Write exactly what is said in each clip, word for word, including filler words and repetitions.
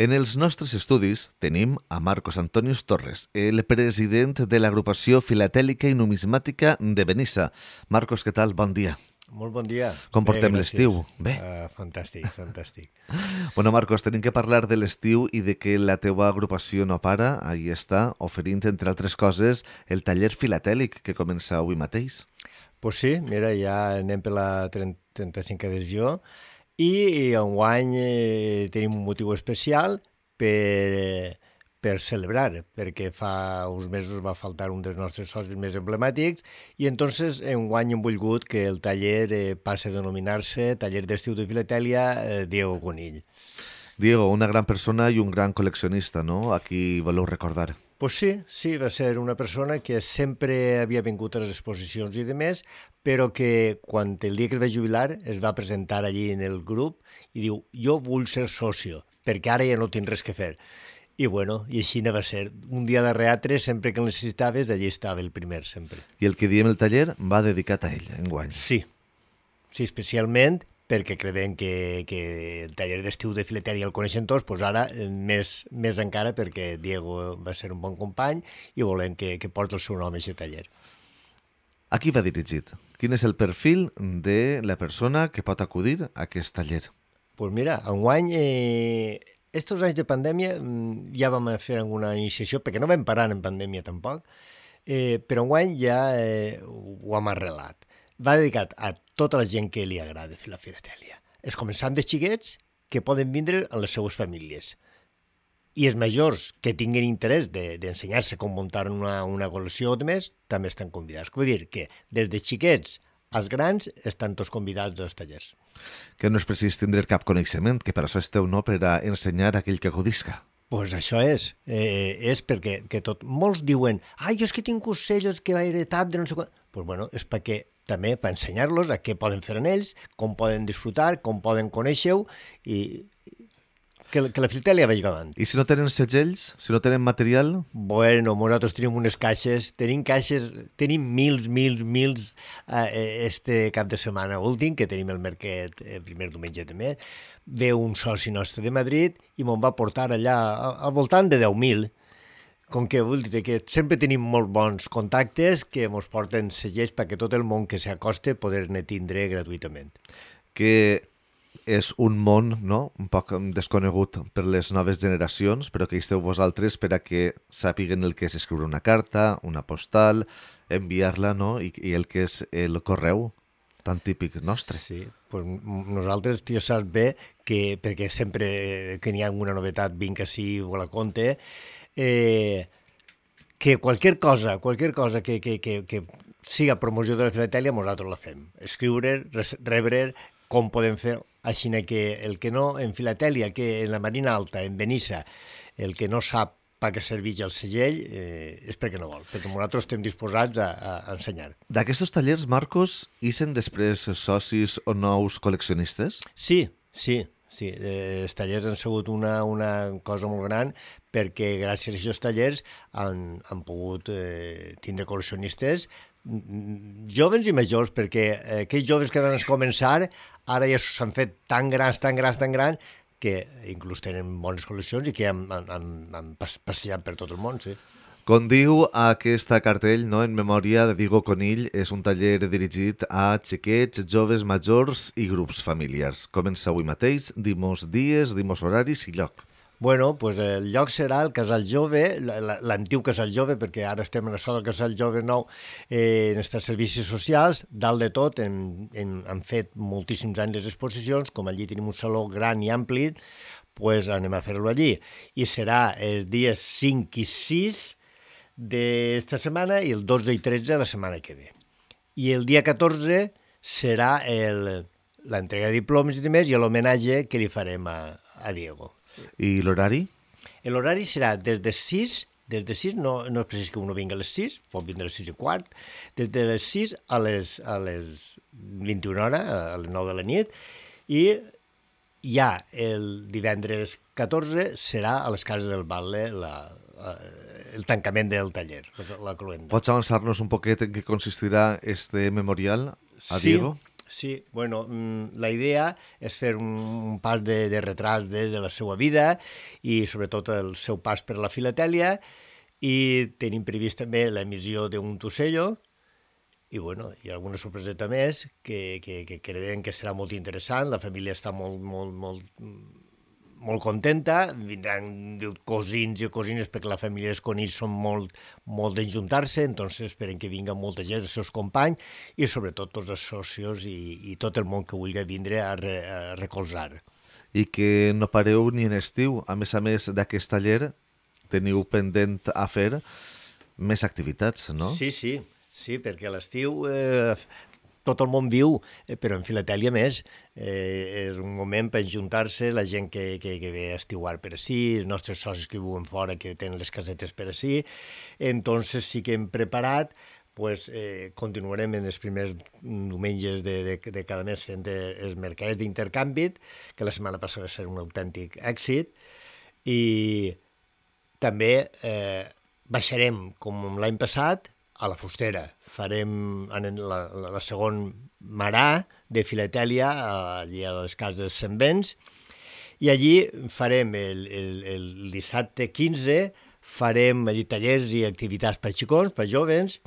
En els nostres estudis tenim a Marcos Antonius Torres, el president de l'agrupació filatèlica i numismàtica de Benissa. Marcos, què tal? Bon dia. Molt bon dia. Com portem l'estiu? Bé. Uh, fantàstic, fantàstic. Bueno, Marcos, tenim que parlar de l'estiu i de que la teua agrupació no para. Ahí està, oferint, entre altres coses, el taller filatèlic que comença avui mateix. Pues sí, mira, ja anem per la trenta-cinquena edició i enguany eh, tenim un motiu especial per, per celebrar, perquè fa uns mesos va faltar un dels nostres socis més emblemàtics i entonces enguany hem volgut que el taller eh, passe a denominar-se Taller d'Estiu de Filatèlia eh, Diego Conill. Diego, una gran persona i un gran col·leccionista, no? A qui voleu recordar. Pues sí, sí, va ser una persona que sempre havia vingut a les exposicions i demés, però que quan el dia que es va jubilar es va presentar allí en el grup i diu, jo vull ser socio, perquè ara ja no tinc res que fer. I bueno, i així va ser. Un dia de reatre, sempre que el necessitaves, allí estava el primer, sempre. I el que diem el taller va dedicat a ell, enguany. Sí, sí, especialment perquè creiem que, que el taller d'estiu de filatèlia el coneixen tots, doncs ara més, més encara perquè Diego va ser un bon company i volem que, que porti el seu nom a aquest taller. A qui va dirigit? Quin és el perfil de la persona que pot acudir a aquest taller? Doncs pues mira, enguany, eh, estos anys de pandèmia ja vam fer alguna iniciació, perquè no vam parar en pandèmia tampoc, eh, però enguany ja eh, ho hem arrelat. Va dedicat a tota la gent que li agrada fer la filatèlia. És començant de xiquets que poden vindre a les seues famílies. I els majors que tinguin interès d'ensenyar-se de, com muntar una, una col·lecció o de més, també estan convidats. Vull dir que des de xiquets als grans estan tots convidats als tallers. Que no és precís tindre cap coneixement, que per això esteu, no?, per a ensenyar a aquell que acudisca. Doncs pues això és. Eh, és perquè que tot, molts diuen ai, jo és que tinc ocells que va heretat de no sé quan. Doncs pues bueno, és perquè també per ensenyar-los a què poden fer en ells, com poden disfrutar, com poden conèixer-ho i que, que la filatèlia vagi avant. I si no tenen segells, si no tenen material? Bueno, nosaltres tenim unes caixes, tenim caixes, tenim mils, mils, mils eh, este cap de setmana últim, que tenim el mercat el primer diumenge de mes, ve un soci nostre de Madrid i me'n va portar allà al voltant de deu mil. Com que vull dir que sempre tenim molt bons contactes que ens porten segells perquè tot el món que s'acosta poder-ne tindre gratuïtament. Que és un món, no?, un poc desconegut per les noves generacions, però que hi esteu vosaltres per a que sàpiguen el que és escriure una carta, una postal, enviar-la, no?, i, i el que és el correu tan típic nostre. Sí, pues nosaltres, tu ja saps bé, que perquè sempre que n'hi ha alguna novetat vinc així o la conte, Eh, que qualsevol cosa, qualsevol cosa que, que, que, que siga promoció de la filatèlia, nosaltres la fem. Escriure, rebre, com podem fer, així que el que no, en filatèlia, que en la Marina Alta, en Benissa, el que no sap per què serveix el segell eh, és perquè no vol, perquè nosaltres estem disposats a, a ensenyar. D'aquests tallers, Marcos, ixen després socis o nous col·leccionistes? Sí, sí. Sí, eh, els tallers han sigut una, una cosa molt gran perquè gràcies a aquests tallers han, han pogut eh, tindre col·leccionistes joves i majors, perquè eh, aquells joves que van començar ara ja s'han fet tan grans, tan grans, tan grans, que inclús tenen bones col·leccions i que han, han, han passejat per tot el món, sí. Com diu aquesta cartell, no?, en memòria de Diego Conill, és un taller dirigit a xiquets, joves, majors i grups familiars. Comença avui mateix, dimos dies, dimos horaris i lloc. Bueno, pues el lloc serà el Casal Jove, l'antic Casal Jove, perquè ara estem en això del Casal Jove nou, eh, en els servicis socials. Dalt de tot hem, hem, hem fet moltíssims anys les exposicions, com allí tenim un saló gran i ampli, pues anem a fer-lo allí. I serà els dies cinc i sis d'esta setmana i el dotze i tretze de la setmana que ve. I el dia catorze serà l'entrega de diplomes i demés i l'homenatge que li farem a, a Diego. I l'horari? L'horari serà des de sis, des de sis, no, no és precís que uno vingui a les sis, pot vindre a les sis i quart, des de les sis a les, a les vint i una hores, a les nou de la nit, i ja el divendres catorze serà a les cases del Batle la, la, el tancament del taller, la cloenda. Pots avançar-nos un poquet en què consistirà este memorial a sí, Diego? Sí, bueno, la idea és fer un pas de, de retrat de, de la seva vida i sobretot el seu pas per la filatèlia, i tenim previst també l'emissió d'un Tussello i, bueno, hi ha alguna sorpreseta més que, que, que creiem que serà molt interessant. La família està molt, molt, molt, molt contenta, vindran cosins i cosines perquè la família dels conills són molt, molt d'enjuntar-se, entonces esperen que vinga molta gent, els seus companys i sobretot tots els socios i, i tot el món que vulgui vindre a, re, a recolzar. I que no pareu ni en estiu. A més a més d'aquest taller, teniu pendent a fer més activitats, no? Sí, sí, sí, perquè a l'estiu eh, tot el món viu, eh, però en filatèlia més. Eh, és un moment per ajuntar-se, la gent que, que, que ve a estiuar per ací, els nostres socis que viuen fora, que tenen les casetes per ací. Entonces sí que hem preparat, pues, eh, continuarem en els primers diumenges de, de, de cada mes fent els mercats d'intercanvi, que la setmana passada va ser un autèntic èxit, i també eh, baixarem, com l'any passat, a la Fustera. Farem en la, la, la segon marà de filatèlia allí a les cases dels Sembens, i allí farem el, el, el dissabte quinze, farem allí tallers i activitats per xicons, per jovens,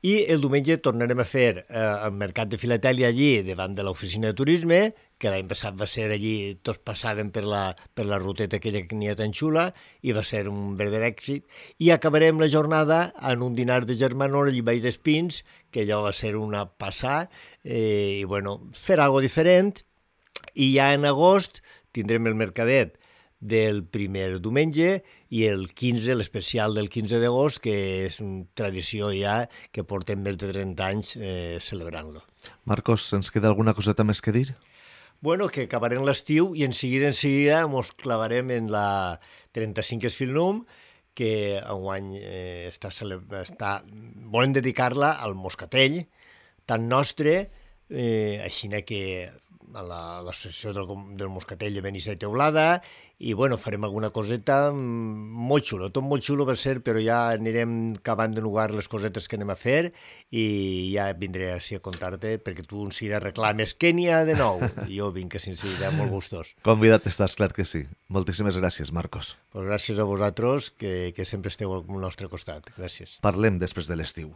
i el diumenge tornarem a fer eh, el mercat de filatèlia allí davant de l'oficina de turisme, que l'any passat va ser allí, tots passaven per la, per la ruteta aquella que n'hi ha tan xula, i va ser un verdader èxit, i acabarem la jornada en un dinar de germanor allí baix d'Espins, que allò va ser una passada, eh, i bueno, fer algo diferent, i ja en agost tindrem el mercadet del primer diumenge i el quinze, l'especial del quinze d'agost, que és una tradició ja que portem més de trenta anys eh, celebrant-lo. Marcos, ens queda alguna coseta més que dir? Bueno, que acabarem l'estiu i en seguida en seguida mos clavarem en la trenta-cinc Esfilnum, que enguany eh, està, està, volem dedicar-la al moscatell, tan nostre, eh, així que a l'associació del, del Moscatell de Benissa i Teulada, i bueno, farem alguna coseta molt xulo, tot molt xulo va ser, però ja anirem acabant de nugar les cosetes que anem a fer i ja vindré així a contar-te, perquè tu en seguida reclames què n'hi ha de nou, i jo vinc en seguida molt gustós. Convidat estàs, clar que sí. Moltíssimes gràcies, Marcos. Pues gràcies a vosaltres, que, que sempre esteu al nostre costat. Gràcies. Parlem després de l'estiu.